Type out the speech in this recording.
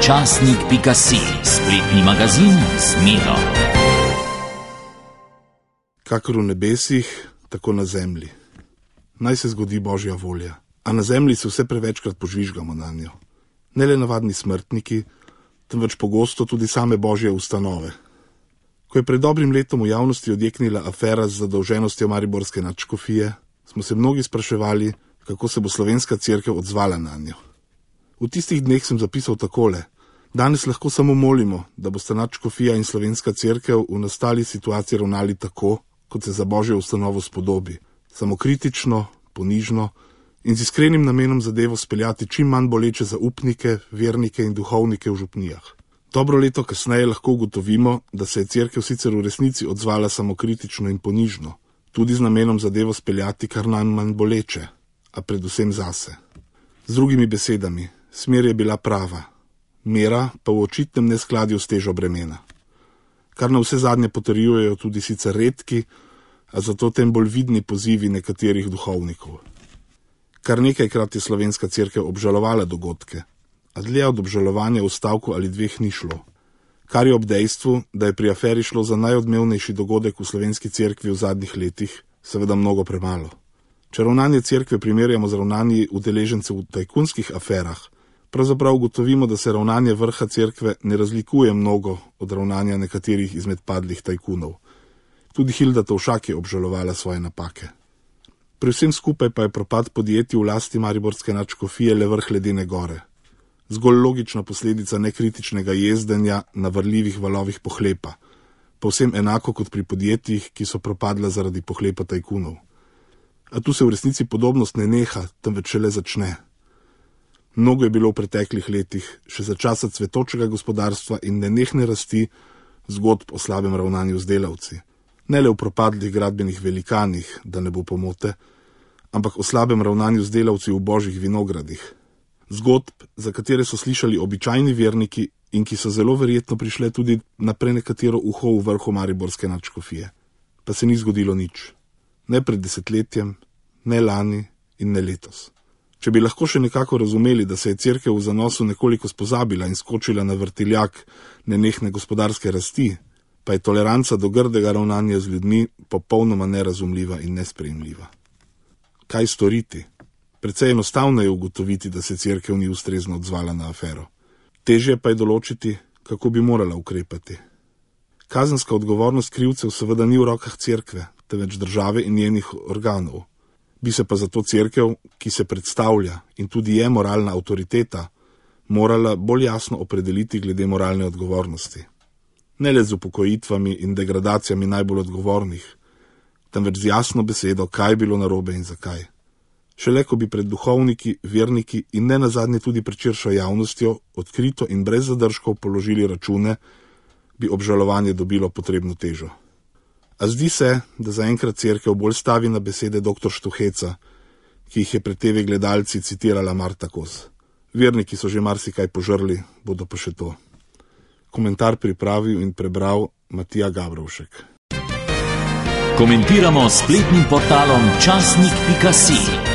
Časnik.si, spletni magazin z Miro. Kakor v nebesih, tako na zemlji. Naj se zgodi Božja volja, a na zemlji se vse prevečkrat požvižgamo na njo. Ne le navadni smrtniki, temveč pogosto tudi same Božje ustanove. Ko je pred dobrim letom v javnosti odjeknila afera z zadolženostjo mariborske nadškofije, smo se mnogi spraševali, kako se bo slovenska cerkev odzvala na njo. V tistih dneh sem zapisal takole: danes lahko samo molimo, da bosta nadškofija in slovenska cerkev v nastali situaciji ravnali tako, kot se za Božjo ustanovo spodobi, samokritično, ponižno in z iskrenim namenom zadevo speljati čim manj boleče za upnike, vernike in duhovnike v župnijah. Dobro leto kasneje lahko ugotovimo, da se je cerkev sicer v resnici odzvala samokritično in ponižno, tudi z namenom zadevo speljati kar najmanj boleče, a predvsem zase. Z drugimi besedami, smer je bila prava, mera pa v očitnem neskladju s težo bremena. Kar na vse zadnje potrjujejo tudi sicer redki, a zato tem bolj vidni pozivi nekaterih duhovnikov. Kar nekajkrat je slovenska cerkev obžalovala dogodke, a dlje od obžalovanja v stavku ali dveh ni šlo. Kar je ob dejstvu, da je pri aferi šlo za najodmevnejši dogodek v slovenski cerkvi v zadnjih letih, seveda mnogo premalo. Če ravnanje cerkve primerjamo z ravnanji udeležencev v tajkunskih aferah, pravzaprav ugotovimo, da se ravnanje vrha cerkve ne razlikuje mnogo od ravnanja nekaterih izmed padlih tajkunov. Tudi Hilda Tovšak je obžalovala svoje napake. Pri vsem skupaj pa je propad podjetij v lasti mariborske nadškofije le vrh ledene gore. Zgolj logična posledica nekritičnega jezdenja na vrljivih valovih pohlepa, povsem enako kot pri podjetjih, ki so propadla zaradi pohlepa tajkunov. A tu se v resnici podobnost ne neha, temveč šele začne. Mnogo je bilo v preteklih letih, še za časa cvetočega gospodarstva in nenehne rasti, zgodb o slabem ravnanju z delavci. Ne le v propadlih gradbenih velikanih, da ne bo pomote, ampak o slabem ravnanju z delavci v božjih vinogradih. Zgodb, za katere so slišali običajni verniki in ki so zelo verjetno prišle tudi na prenekatero uho v vrhu mariborske nadškofije. Pa se ni zgodilo nič. Ne pred desetletjem, ne lani in ne letos. Če bi lahko še nekako razumeli, da se je cerkev v zanosu nekoliko spozabila in skočila na vrtiljak nenehne gospodarske rasti, pa je toleranca do grdega ravnanja z ljudmi popolnoma nerazumljiva in nesprejemljiva. Kaj storiti? Precej enostavno je ugotoviti, da se cerkev ni ustrezno odzvala na afero. Težje pa je določiti, kako bi morala ukrepati. Kazenska odgovornost krivcev seveda ni v rokah cerkve, temveč države in njenih organov. Bi se pa zato cerkev, ki se predstavlja in tudi je moralna avtoriteta, morala bolj jasno opredeliti glede moralne odgovornosti. Ne le z upokojitvami in degradacijami najbolj odgovornih, temveč z jasno besedo, kaj je bilo narobe in zakaj. Šele ko bi pred duhovniki, verniki in ne nazadnje tudi pred širšo javnostjo odkrito in brez zadržkov položili račune, bi obžalovanje dobilo potrebno težo. A zdi se, da zaenkrat cerkev bolj stavi na besede dr. Štuheca, ki jih je pred TV gledalci citirala Marta Kos. Verniki so že marsikaj požrli, bodo pa še to. Komentar pripravil in prebral Matija Gabrovšek. Komentiramo s spletnim portalom Časnik.si.